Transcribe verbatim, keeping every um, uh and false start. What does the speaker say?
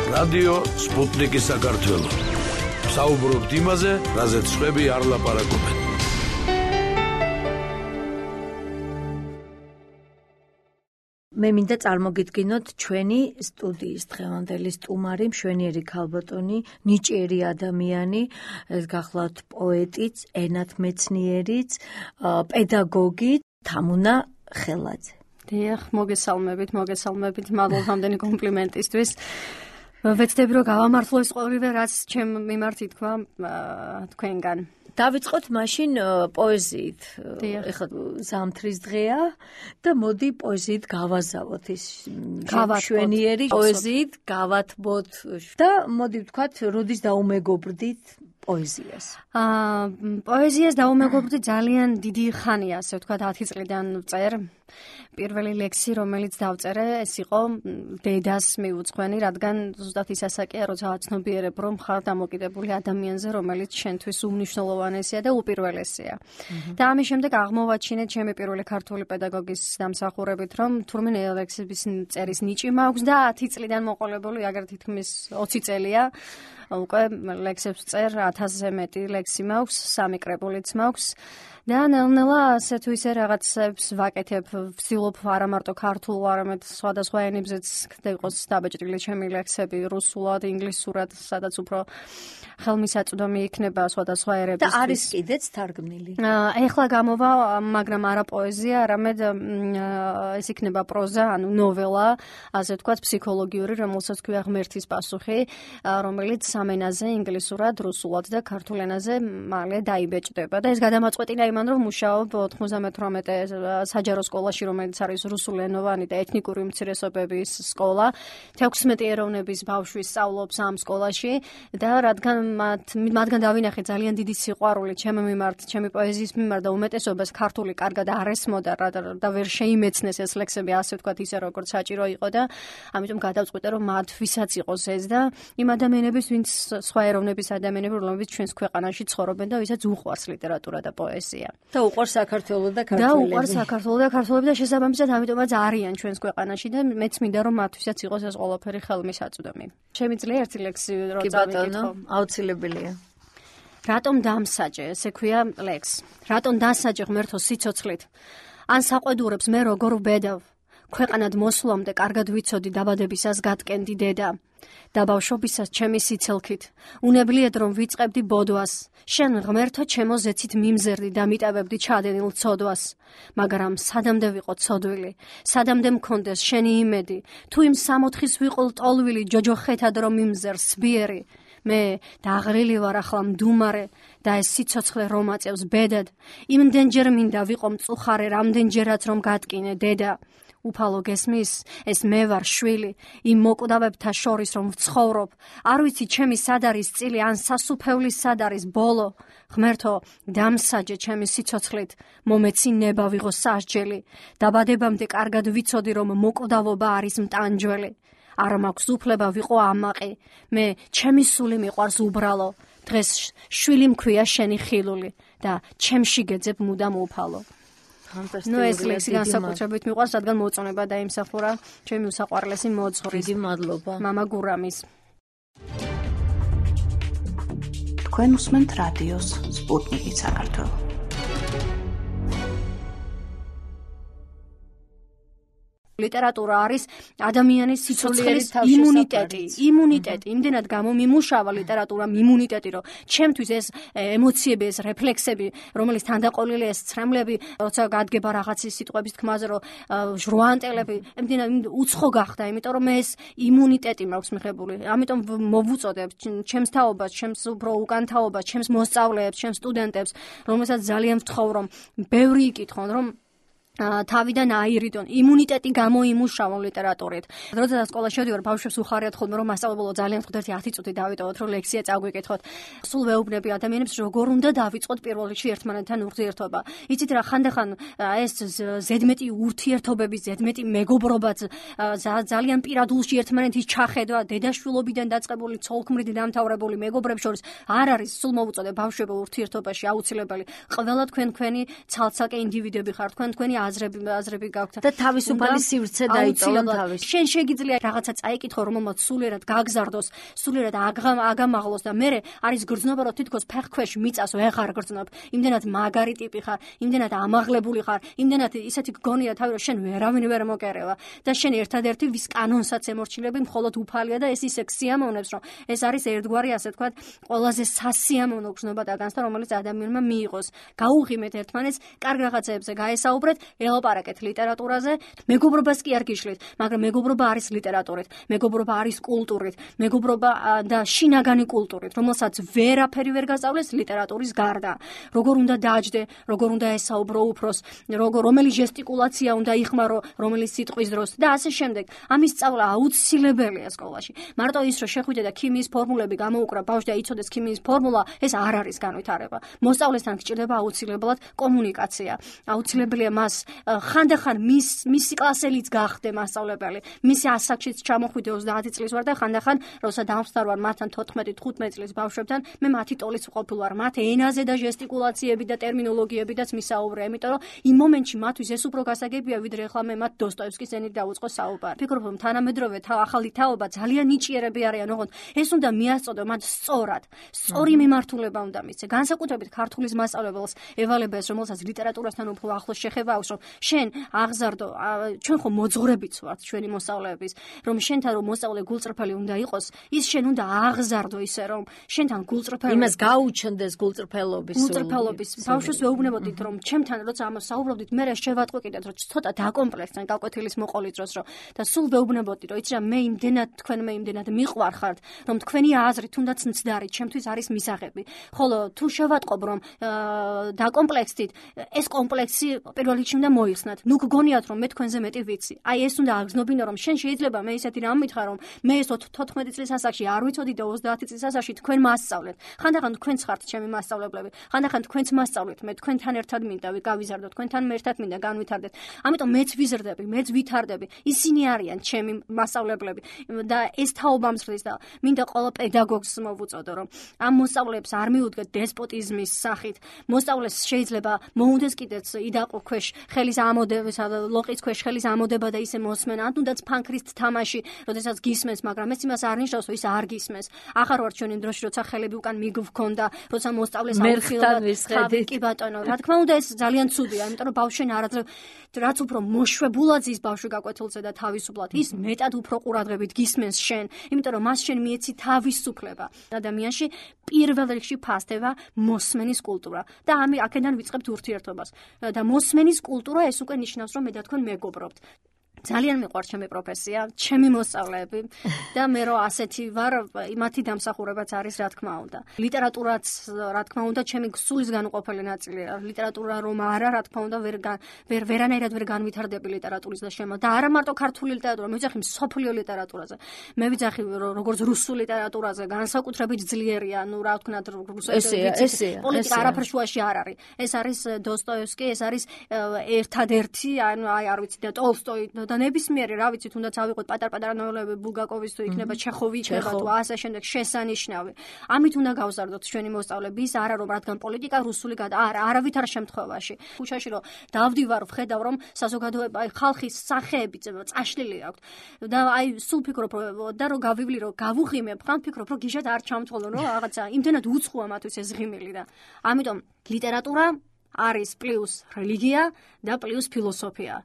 რადიო სპუტნიკი საქართველო. საუბრობთ იმაზე, რაზეც სხვები არ ლაპარაკობენ. მე მინდა წარმოგიდგინოთ ჩვენი სტუდიის დღევანდელი სტუმარი, მშვენიერი ქალბატონი, ნიჭიერი ადამიანი, გახლავთ პოეტიც, ენათმეცნიერიც, პედაგოგი თამუნა ხელაძე. დიახ, მოგესალმებით, მოგესალმებით, მადლობ ამდენი კომპლიმენტისთვის. ვეცდები რომ გავამართლო ეს ყოველივე, რაც ჩემ მიმართ ითქვა თქვენგან. დავიწყოთ მაშინ პოეზიით. ეხლა ზამთრის დღეა და მოდი პოეზიით გავაზავოთ ის მშვენიერი პოეზიით გავათბოთ და მოდი ვთქვათ, როდის დაუმეგობრდით პოეზიას? აა პოეზიას დაუმეგობრდი ძალიან დიდი ხანია, ასე ვთქვათ, ათი წლიდან წერ. პირველი ლექსი, რომელიც დავწერე, ეს იყო დედას მიუძღვენი, რადგან ზუსტად ის ასაკია, როცა აცნობიერებ, რომ ხარ დამოკიდებული ადამიანზე, რომელიც შენთვის უმნიშვნელოვანესია და უპირველესია. და ამის შემდეგ აღმოვაჩინეთ ჩემი პირველი ქართული პედაგოგის დამსახურებით, რომ თურმე ლექსების წერის ნიჭი მაქვს და ათი წლიდან მოყოლებული, აგერ თითქმის ოცი წელია. უკვე ლექსებს წერ, ათასზე მეტი ლექსი მაქვს, სამი კრებულიც მაქვს. და ნელ-ნელა ასე თუ ისე რაღაცებს ვაკეთებ, ვცდილობ არა მარტო ქართულ, არამედ სხვადასხვა ენებზეც იყოს დაბეჭდილი ჩემი ლექსები, რუსულად, ინგლისურად, სადაც უფრო ხელმისაწვდომი იქნება სხვადასხვა ერებისთვის. და არის კიდეც თარგმნილი? ეხლა გამოვა, მაგრამ არა პოეზია, არამედ ეს იქნება პროზა, ანუ ნოველა, ასე ვთქვათ, ფსიქოლოგიური, რომელსაც ქვია ღმერთის პასუხი, რომელიც სამ ენაზე, ინგლისურად, რუსულად და ქართულ ენაზე მალე დაიბეჭდება. და ეს გადამაწყვეტინა იმან, რომ მუშაობ ოთხმოცდამეთვრამეტე საჯარო სკოლაში, რომელიც არის რუსულენოვანი და ეთნიკური უმცირესობების სკოლა. თექვსმეტი ეროვნების ბავშვი სწავლობს ამ სკოლაში და რადგან მათ მათგან დავინახე ძალიან დიდი სიყვარული ჩემი მიმართ, ჩემი პოეზიის მიმართ და უმეტესობას ქართული კარგად არ ესმოდა და ვერ შეიმეცნეს ეს ლექსები, ასე ვთქვათ, ისე როგორც საჭირო იყო და ამიტომ გადავწყვიტე, რომ მათთვისაც იყოს ეს და იმ ადამიანების, ვინც სხვა ეროვნების ადამიანები, რომლებიც ჩვენს ქვეყანაში ცხოვრობენ და ვისაც უყვარს ლიტერატურა და პოეზია. და უყვარს საქართველო და ქართველები. და უყვარს საქართველო და ქართველები და შესაბამისად ამიტომაც არიან ჩვენს ქვეყანაში და მეც მინდა რომ მათთვისაც იყოს ეს ყველაფერი ხელმისაწვდომი. შემიძლია ერთი ლექსი რო წავიკითხო? აუცილებელია. რატომ დამსაჯე, ესე ქვია ლექს. რატომ დასაჯე ღმერთო სიცოცხლით? ან საყვედურებს მე როგორ ვბედავ? ქვეყანად მოსვლამდე კარგად ვიცოდი დაბადებისას გატკენდი დედა. და ბავშვობისას ჩემი სიცელქით. უნებლიეთ რომ ვიწყებდი ბოდვას. შენ ღმერთო ჩემო ზეცით მიმზერდი და მიტევებდი ჩადენილ ცოდვას. მაგრამ სადამდე ვიყო ცოდვილი, სადამდე მქონდეს შენი იმედი, თუ იმ სამოთხის ვიყოლ ტოლვილი ჯოჯოხეთად რომ მიმზერს სბიერი. მე დაღრილი ვარ ახლა მდუმარე და ეს სიცოცხლე რომ აწევს ბედად. იმდენჯერ მინდა ვიყო მწუხარე, რამდენჯერაც რომ გატკინე დედა. უფალო გესმის, ეს მე ვარ შვილი, იმ მოკვდავებთა შორის რომ ვცხოვრობ. არ ვიცი ჩემი სად არის წილი, ან სასუფევლის სად არის ბოლო. ღმერთო, დამსაჯე ჩემი სიცოცხლით, მომეცი ნება ვიღო სასჯელი. დაბადებამდე კარგად ვიცოდი, რომ მოკვდავობა არის მტანჯველი. არ მაქვს უფლება ვიყო ამაყი. მე ჩემი სული მიყვარს უბრალო. დღეს შვილი მქვია შენი ხილული და ჩემში გეძებ მუდამ უფალო. ნუ ეს ლექსი განსაკუთრებით მიყვარს, რადგან მოწონება დაიმსახურა ჩემი უსაყვარლესი მოძღვრის. დიდი მადლობა. მამა გურამის. თქვენ უსმენთ რადიოს სპუტნიკი საქართველო. ლიტერატურა არის ადამიანის სიცოცხლის იმუნიტეტი, იმუნიტეტი. იმდენად გამომიმუშავა ლიტერატურა იმუნიტეტი, რომ ჩემთვის ეს ემოციები, ეს რეფლექსები, რომელიც თანდაყოლილი ეს ცრემლები, როცა გადგება რაღაცის სიტყვების თქმაზე, რომ ჟრუანტელები, იმდენად უცხო გახდა, იმიტომ რომ მე ეს იმუნიტეტი მაქვს მიღებული. ამიტომ მოვუწოდებ ჩემს თაობას, ჩემს უფრო უკან თაობას, ჩემს მოსწავლეებს, ჩემს სტუდენტებს, რომელსაც ძალიან ვთხოვ, რომ ბევრი იკითხონ, რომ თავიდან აირიდონ, იმუნიტეტი გამოიმუშავონ ლიტერატურით. როდესაც სკოლაში შევდივარ, ბავშვებს უხარიათ ხოლმე, რომ მასწავლებელო ძალიან ხდება ათი წუთი დავიტოვოთ, რომ ლექსია წაგვიკითხოთ. სულ ვეუბნები ადამიანებს, როგორ უნდა დავიწყოთ პირველ რიგში ერთმანეთთან ურთიერთობა. იცით რა, ხანდახან ეს ზედმეტი ურთიერთობები, ზედმეტი მეგობრობაც, ძალიან პირადულში ერთმანეთის ჩახედვა, დედაშვილობიდან დაწყებული, ცოლქმრით დამთავრებული მეგობრებს შორის არ არის, სულ მოვუწოდე ბავშვებო ურთიერთობაში აუცილებელი. ყველა თქვენ თქვენი ცალ-ცალკე ინდივიდები ხართ, თქვენ თქვენი აზრები აზრები გაქვთ და თავისუფალი სივრცე დაიწოვონ თავის. შენ შეგიძლია რაღაცა წაიკითხო, რომელმაც სულიერად გაგზარდოს, სულიერად აგამაღლოს და მე არის გრძნობა, რომ თითქოს ფეხქვეშ მიწას ვეღარ გრძნობ. იმდენად მაგარი ტიპი ხარ, იმდენად ამაღლებული ხარ, იმდენად ისეთი გონია თავი, რომ შენ ვერავინ ვერ მოკერევა და შენ ერთადერთი ვის კანონსაც ემორჩილები მხოლოდ უფალია და ეს ისე სიამოვნებს, რომ ეს არის ერთგვარი ასე თქვა ყველაზე სასიამოვნო გრძნობა და განცდა, რომელიც ადამიანმა მიიღოს. გაუღიმეთ ერთმანეთს, კარგ რაღაცებზე გაესაუბრეთ, ელაპარაკეთ ლიტერატურაზე, მეგობრობას კი არ გიშლით, მაგრამ მეგობრობა არის ლიტერატურით, მეგობრობა არის კულტურით, მეგობრობა და შინაგანი კულტურით, რომელსაც ვერაფერი ვერ გასწავლეს ლიტერატურის გარდა. როგორ უნდა დააჯდე, როგორ უნდა ესაუბრო უფროს, როგორ რომელი ჟესტიკულაცია უნდა იხმარო, რომელი სიტყვის დროს და ასე შემდეგ. ამის სწავლა აუცილებელია სკოლაში. მარტო ის რომ შეხვიდე და ქიმიის ფორმულები გამოუკრა ბავშვი და იცოდეს ქიმიის ფორმულა, ეს არ არის განვითარება. მოსწავლესთან გჭირდება აუცილებლად კომუნიკაცია. აუცილებელია მას ხანდახან მის მისი კლასელიც გახდე მასწავლებელი. მისი ასაკშიც ჩამოხვიდე ოცდაათი წლის ვარ და ხანდახან როცა დამხმარ ვარ მათთან თოთხმეტი თხუთმეტი წლის ბავშვებთან, მე მათი ტოლის ვყოფილ ვარ. მათ ენაზე და ჟესტიკულაციები და ტერმინოლოგიებიდაც მისაუბრე, იმიტომ რომ იმ მომენტში მათთვის ეს უფრო გასაგებია, ვიდრე ახლა მე მათ დოსტოევსკის ენით დავუწყო საუბარი. ფიქრობ, რომ თანამედროვე ახალი თაობა ძალიან ნიჭიერები არიან, ოღონდ ეს უნდა მიასწოდო მათ სწორად. სწორი მიმართულება უნდა მისცე. განსაკუთრებით ქართულის მასწავლებელს ევალება ეს, რომელსაც ლიტერატურასთან უფრო ახლოს შეხება აქვს, რომ შენ აღზარდო, ჩვენ ხო მოძღვრებიც ვართ ჩვენი მოსწავლეების, რომ შენთან რომ მოსწავლე გულწრფელი უნდა იყოს, ის შენ უნდა აღზარდო ისე, რომ შენთან გულწრფელი იმას გაუჩნდეს გულწრფელობის გულწრფელობის ბავშვს ვეუბნებოდით, რომ ჩემთან როცა ამას საუბრობდით, მე შევატყვი კიდეც, რომ ცოტა დაკომპლექსთან გაკვეთილის მოყოლის დროს, რომ და სულ ვეუბნებოდით, რომ იცი რა მე იმდენად თქვენ მე იმდენად მიყვარხართ, რომ თქვენი აზრი თუნდაც მცდარი ჩემთვის არის მისაღები. ხოლო თუ შევატყობ, რომ დაკომპლექსდით, ეს კომპლექსი პირველ რიგში უნდა მოიხსნათ. ნუ გგონიათ, რომ მე თქვენზე მეტი ვიცი. აი ეს უნდა აგზნობინო, რომ შენ შეიძლება მე ისეთი რამ მითხრა, რომ მე ეს თოთხმეტი წლის ასაკში არ ვიცოდი და ოცდაათი წლის ასაკში თქვენ მასწავლეთ. ხანდახან თქვენც ხართ ჩემი მასწავლებლები. ხანდახან თქვენც მასწავლეთ, მე თქვენთან ერთად მინდა გავიზარდო, თქვენთან ერთად მინდა განვითარდეთ. ამიტომ მეც ვიზრდები, მეც ვითარდები. ისინი არიან ჩემი მასწავლებლები და ეს თაობა მსხლის და მინდა ყველა პედაგოგს მოვუწოდო, რომ ამ მოსწავლეებს არ მიუდგეთ დესპოტიზმის სახით. მოსწავლეს შეიძლება მოუნდეს კიდეც იდაყო ქვეშ ხელის ამოდება, ლოყის ქვეშ ხელის ამოდება და ისე მოსმენა, ან თუნდაც ფანქრის თამაში, როდესაც გისმენს, მაგრამ ეს იმას არ ნიშნავს, რომ ის არ გისმენს. ახარ ვარ ჩვენი დროში, როცა ხელები უკან მიგვქონდა, როცა მოსწავლეს აუცილებლად კი ბატონო, რა თქმა უნდა ეს ძალიან ცუდია, იმიტომ რომ ბავშვენ არაძლევ რაც უფრო მოშვებულად ის ბავშვი გაკვეთილზე და თავისუფლად, ის მეტად უფრო ყურადღებით გისმენს შენ, იმიტომ რომ მას შენ მიეცი თავისუფლება. ადამიანში პირველ რიგში ფასდება მოსმენის კულტურა და ამი აქედან ვიწყებთ ურთიერთობას. და მოსმენის კულტურა ეს უკვე ნიშნავს, რომ მე და თქვენ მეგობრობთ. ძალიან მიყვარს ჩემი პროფესია, ჩემი მოსწავლეები და მე რო ასეთი ვარ, იმათი დამსახურებაც არის, რა თქმა უნდა. ლიტერატურაც, რა თქმა უნდა, ჩემი სულის განუყოფელი ნაწილია. ლიტერატურა რომ არა, რა თქმა უნდა, ვერ ვერ ვერანაირად ვერ განვითარდები ლიტერატურის და შემო. და არა მარტო ქართული ლიტერატურა, მე ვიძახი მსოფლიო ლიტერატურაზე. მე ვიძახი როგორც რუსული ლიტერატურაზე, განსაკუთრებით ძლიერია, ну, რა ვთქვათ, რუსული პოლიტიკა არაფერ შუაში არ არის. ეს არის დოსტოევსკი, ეს არის ერთადერთი, ანუ აი არ ვიცი და ტოლსტოი და ნებისმიერი, რა ვიცი, თუნდაც ავიღოთ პატარ-პატარა ნოველები ბულგაკოვის თუ იქნება ჩეხოვი იქნება თუ ასე შემდეგ შესანიშნავი. ამით უნდა გავზარდოთ ჩვენი მოსწავლეები, ის არა რომ რადგან პოლიტიკა რუსული გადა, არა, არავითარ შემთხვევაში. ქუჩაში რომ დავდივარ, ვხედავ რომ საზოგადოება, აი ხალხის სახეები წაშლილი აქვს. და აი სულ ფიქრობ და რომ გავივლი რომ გავუღიმებ, ხან ფიქრობ რომ გიჟად არ ჩამთვალო, რომ რაღაცა იმდენად უცხოა მათთვის ეს ღიმილი და ამიტომ ლიტერატურა არის პლუს რელიგია და პლუს ფილოსოფია.